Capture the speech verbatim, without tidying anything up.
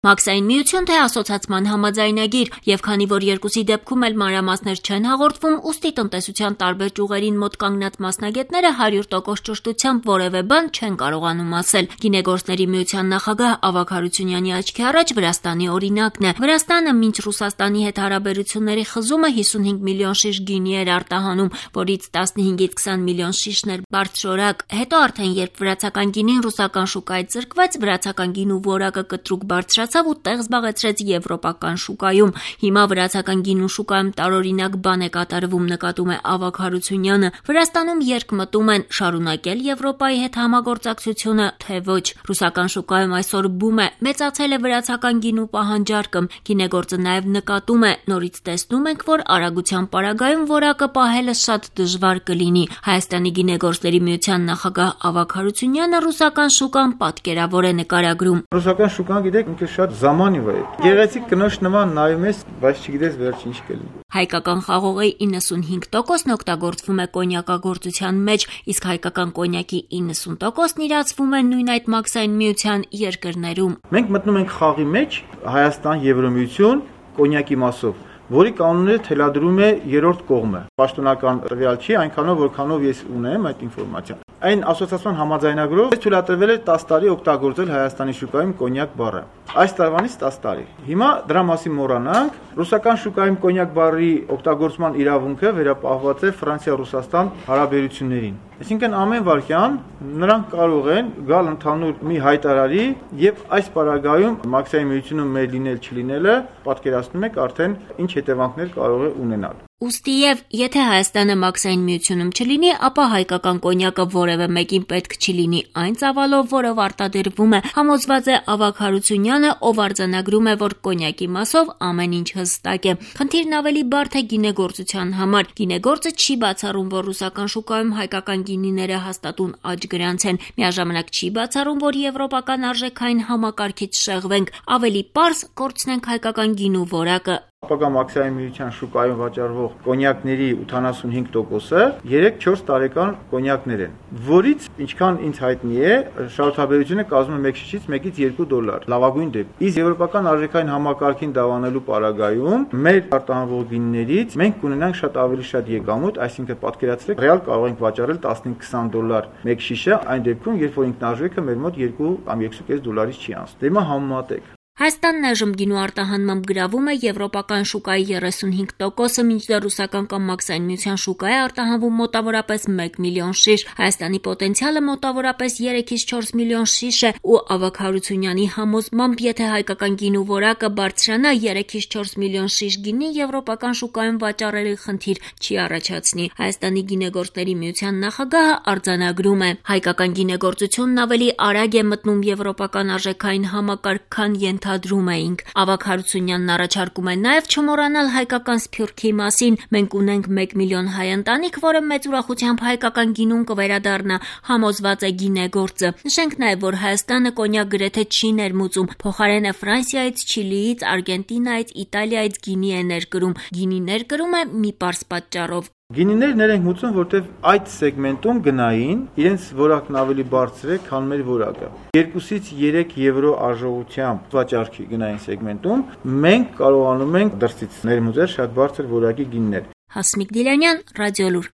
Մաքսային միություն թե ասոցացման համաձայնագիր, եւ քանի որ երկուսի դեպքում էլ մանրամասներ չեն հաղորդվում, ուստի տնտեսության տարբեր ճյուղերին մոտ կանգնած մասնագետները հարյուր տոկոս ճշտությամբ որևէ բան չեն կարողանում ասել։ Գինեգործների միության նախագահ Ավագ Հարությունյանի աչքի առաջ Վրաստանի օրինակն է։ Վրաստանը մինչ Ռուսաստանի հետ հարաբերությունների խզումը հիսունհինգ միլիոն շիշ գինի էր արտահանում, որից տասնհինգից քսան միլիոն շիշն էր բարձրորակ։ Հետո արդեն երբ վրացական գինին ռուսական շուկայից զրկվեց, վրացական գինու որակը կտրուկ բարձրացավ ու տեղ զբաղեցրեց եվրոպական շուկայում։ Հիմա վրացական գինու շուկայում տարօրինակ բան է կատարվում, նկատում է Ավագ Հարությունյանը։ Վրաստանում երկմտում են շարունակել Եվրոպայի հետ համագործակցությունը, թե ոչ։ Ռուսական շուկայում այսօր բում է, մեծացել է վրացական գինու պահանջարկը։ Գինեգործը նաև նկատում է, նորից տեսնում ենք, որ արագության պարագայում որակը պահելը շատ դժվար կլինի։ Հայաստանի գինեգործների միության նախագահ Ավագ Հարությունյանը ռուսական շուկան պատկերավոր է նկարագրում։ Ռուսական շուկան գիտեք, ինքը շատ զամանիվ է։ Գեղեցիկ կնոջ նման նայում ես, բայց չգիտես վերջ ինչ կլինի։ Հայկական խաղողի իննսունհինգ տոկոսն օգտագործվում է կոնյակագործության մեջ, իսկ հայկական կոնյակի իննսուն տոկոսն իրացվում է նույն այդ մաքսային միության երկրներում։ Մենք մտնում ենք խաղի մեջ, Հայաստան, Եվրոմիություն, կոնյակի մասով, որի կանոնները թելադրում է երրորդ կողմը։ Պաշտոնական տվյալ չի, այնքանով որքանով ես ունեմ այդ ինֆորմացիան։ Այն ասոցիացիան համաձայնագրով թույլատրվել է տասը տարի օգտագործել Հայաստանի շուկայում կոնյակ բառը։ Այս տարվանից տասը տարի։ Հիմա դրա մասին մոռանանք, ռուսական շուկայում կոնյակ բառի օգտագործման իրավունքը վերապահված է Ֆրանսիա-Ռուսաստան հարաբերություններին։ Այսինքն ամեն վարքյան նրանք կարող են գալ ընդհանուր մի հայտարարի եւ այս պարագայում մաքսային միությունում մեր լինել չլինելը պատկերացնում եք արդեն ինչ հետևանքներ կարող է ունենալ։ Ուստի եւ եթե Հայաստանը մաքսային միությունում չլինի, ապա հայկական կոնյակը որևէ մեկին պետք չլինի այն ծավալով, որով արտադրվում է, համոզված է Ավագ Հարությունյանը, ով արձանագրում է, որ կոնյակի մասով ամեն ինչ հստակ է։ Խնդիրն ավելի բարդ է գինեգործության համար։ Գինեգործը չի բացառում, որ ռուսական շուկայում հայկական գինիները հաստատուն աճ գրանց են։ Միաժամանակ չի բացառում, որ եվրոպական արժեքային համակարգից շեղվենք, ավելի պարզ կորցնենք հայկական գինու որակը։ Ապագա մաքսային միության շուկայում վաճառվող կոնյակների ութանասունհինգ տոկոսը երեք-չորս տարեկան կոնյակներ են, որից ինչքան ինձ հայտնի է, շահութաբերությունը կազմում է մեկ շիշից մեկից երկու դոլար, լավագույն դեպքում։ Իսկ եվրոպական արժեքային համակարգին դավանելու պարագայում մեր արտահանվող գինիներից մենք կունենանք շատ ավելի շատ եկամուտ, այսինքն պատկերացրեք, ռեալ կարող ենք վաճառել տասնհինգ-քսան դոլար մեկ շիշը, այն դեպքում, երբ որ ինքնարժեքը մեր մոտ երկու կամ երկու կես դոլարից չի անցնում։ Դե հիմա համեմատեք։ Հայաստանն այժմ գինու արտահանմամբ գրավում է եվրոպական շուկայի երեսունհինգ տոկոսը, մինչդեռ ռուսական կամ մաքսային միության շուկայի արտահանվում մոտավորապես մեկ միլիոն շիշ։ Հայաստանի պոտենցիալը մոտավորապես երեքից չորս միլիոն շիշ է ու Ավագ Հարությունյանի համոզմամբ, եթե հայկական գինու որակը բարձրանա, երեքից չորս միլիոն շիշ գինի եվրոպական շուկայում վաճառելի խնդիր չի առաջացնի։ Հայաստանի գինեգործների միության նախագահը արձանագրում է. հայկական գինեգործությունն ավելի արագ է մտնում եվրոպական արժեքային համակարգ, քան ենթադրում էինք։ Ավագ Հարությունյանն առաջարկում է նաև չմոռանալ հայկական սփյուռքի մասին։ Մենք ունենք մեկ միլիոն հայ ընտանիք, որը մեծ ուրախությամբ հայկական գինուն կվերադառնա, համոզված է գինեգործը։ Նշենք նաև, որ Հայաստանը կոնյակ գրեթե չի ներմուծում, փոխարենը Ֆրանսիայից, Չիլիից, Արգենտինայից, Իտալիայից գինի է ներկրում։ Գինի ներկրում է մի պարզ պատճառով։ Գինիներ ներենք մուծում, որտեվ այդ սեգմենտում գնային իրենց որակն ավելի բարձր է, քան մեր որակը։ երկուսից երեք եվրո արժողությամբ վաճառքի գնային սեգմենտում մենք կարողանում ենք դրսից ներմուծել շատ բարձր որակի գինիներ։ Հասմիկ Դիլանյան, Ռադիոլուր։